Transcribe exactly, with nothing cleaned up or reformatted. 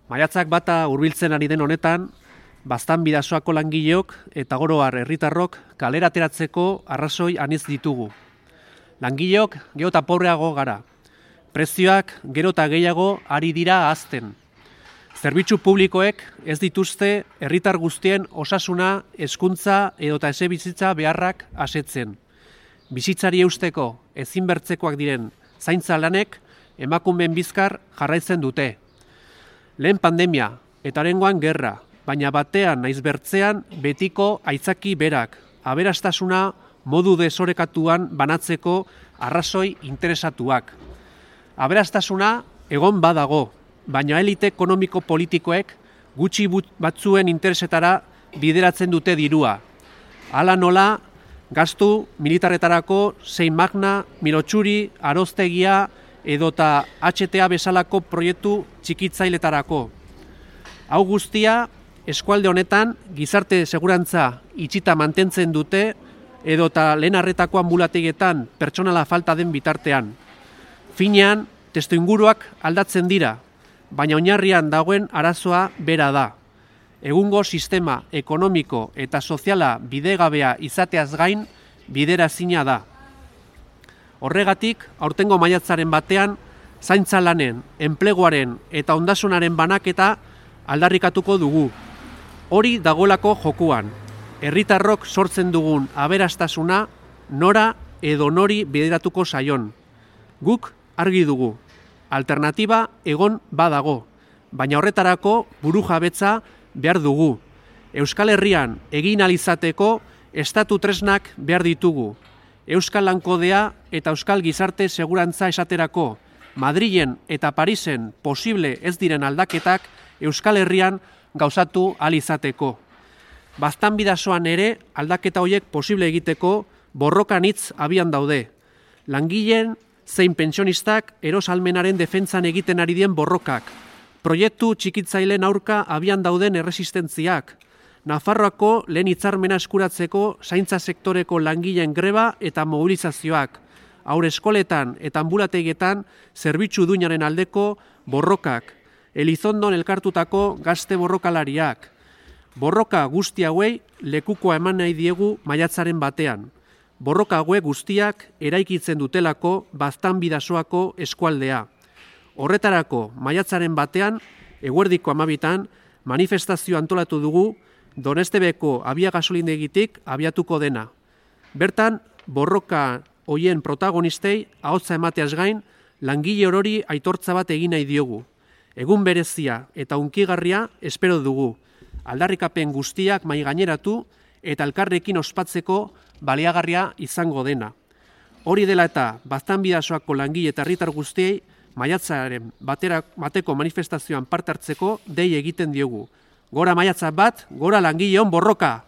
Maiatzak bata hurbiltzen ari den honetan, Baztan Bidasoako langileok eta oro har herritarrok kalera ateratzeko arrazoi anitz ditugu. Langileok gero eta pobreago gara. Prezioak gero eta gehiago ari dira ahazten. Zerbitzu publikoek ez dituzte herritar guztien osasuna, hezkuntza edota etxebizitza beharrak asetzen. Bizitzari eusteko ezinbertzekoak diren zaintza lanek emakumeen bizkar jarraitzen dute. Lehen pandemia eta oraingoan gerra, baina batean naiz bertzean betiko aitzaki berak, aberastasuna modu desorekatuan banatzeko arrazoi interesatuak. Aberastasuna egon badago, baina elite ekonomiko politikoek gutxi batzuen interesetara bideratzen dute dirua. Hala nola, gastu militarretarako zein Magna, Milotxuri, Aroztegia edota H T A bezalako proiektu txikitzailetarako. Hau guztia, eskualde honetan gizarte segurantza itxita mantentzen dute edota lehen arretako ambulategietan pertsonala falta den bitartean. Finean, testuinguruak aldatzen dira, baina oinarrian dagoen arazoa bera da. Egungo sistema ekonomiko eta soziala bidegabea izateaz gain biderazina da. Horregatik, aurtengo maiatzaren batean, zaintza lanen, enpleguaren eta ondasunaren banaketa aldarrikatuko dugu. Hori dagoelako jokuan. Herritarrok sortzen dugun aberastasuna nora edo nori bideratuko zaion. Guk argi dugu. Alternatiba egon badago, baina horretarako burujabetza behar dugu. Euskal Herrian egin alizateko estatu tresnak behar ditugu. Euskal Lankodea eta Euskal Gizarte Segurantza esaterako, Madrilen eta Parisen posible ez diren aldaketak Euskal Herrian gauzatu alizateko. Baztan Bidasoan ere aldaketa horiek posible egiteko borrokan hitz abian daude. Langileen zein pentsionistak erosalmenaren defentsan egiten ari dien borrokak, proiektu txikitzaileen aurka abian dauden erresistentziak, Nafarroako lehen hitzarmena eskuratzeko zaintza sektoreko langileen greba eta mobilizazioak, haur eskoletan eta ambulategietan zerbitzu duinaren aldeko borrokak, Elizondon elkartutako gazte borrokalariak. Borroka guzti hauei lekukoa eman nahi diegu maiatzaren batean. Borroka hauek guztiak eraikitzen dutelako Baztan Bidasoako eskualdea. Horretarako maiatzaren batean, eguerdiko hamabitan, manifestazio antolatu dugu Donestebeko abia gasolindegitik abiatuko dena. Bertan, borroka hoien protagonistei ahotsa emateaz gain, langile orori aitortza bat egin nahi diogu. Egun berezia eta hunkigarria espero dugu. Aldarrikapen guztiak mahai gaineratu eta elkarrekin ospatzeko baliagarria izango dena. Hori dela eta Baztan Bidasoako langile eta herritar guztiei maiatzaren batera, bateko manifestazioan parte hartzeko dei egiten diogu. Gora maiatza bat, gora langileon borroka!